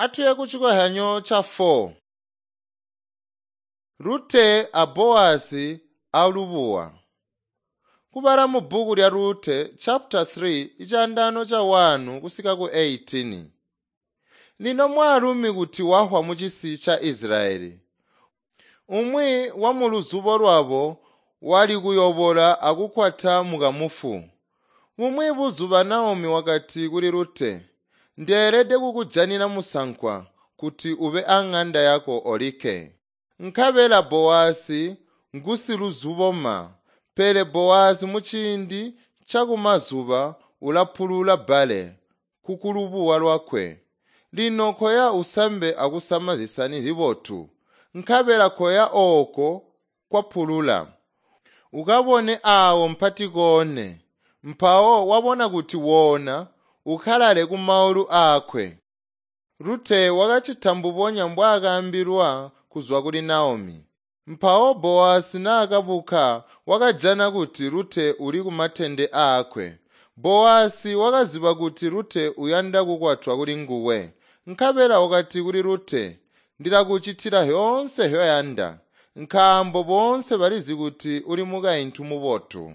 Atuye kucikozyanyo ca 4. Rute a Boazi alubuwa. Kubala mu bbuku lya Rute chapter 3 icandano ca 1 kusika ku 18. Lino mwaalumi kuti wahwa mucisi ca Israyeli. Umwi wa mu luzubo lwabo wali kuyobola akukwata mukamufu. Bumwi buzuba Naomi wakati kuli Rute, "Ndeelede kukujanina musankwa kuti ube ang'anda yako olikke." Nkabela Bowazi ngusiluzuboma, pele Bowazi muciindi cakumazuba ulapulula bbale kukulubuwa lwakwe. Lino koya usambe akusama zisani zibotu, nkabela koya ooko kwapulula. Ukabone aawo mpatikoone, mpawo wabona kuti woona ukalale kumaulu aakwe. Rute wakacita mbubonya mbwaakaambilwa kuzwa kuli Naomi. Mpawo Bowazi naakabuka wakajana kuti Rute uli kumatende aakwe. Bowazi wakaziba kuti Rute uyanda kukwatwa kuli nguwe. Nkabela wakati kuli Rute, "Ndilakucitila zyoonse nzyoyanda, nkaambo boonse balizi kuti uli mukaintu mubotu."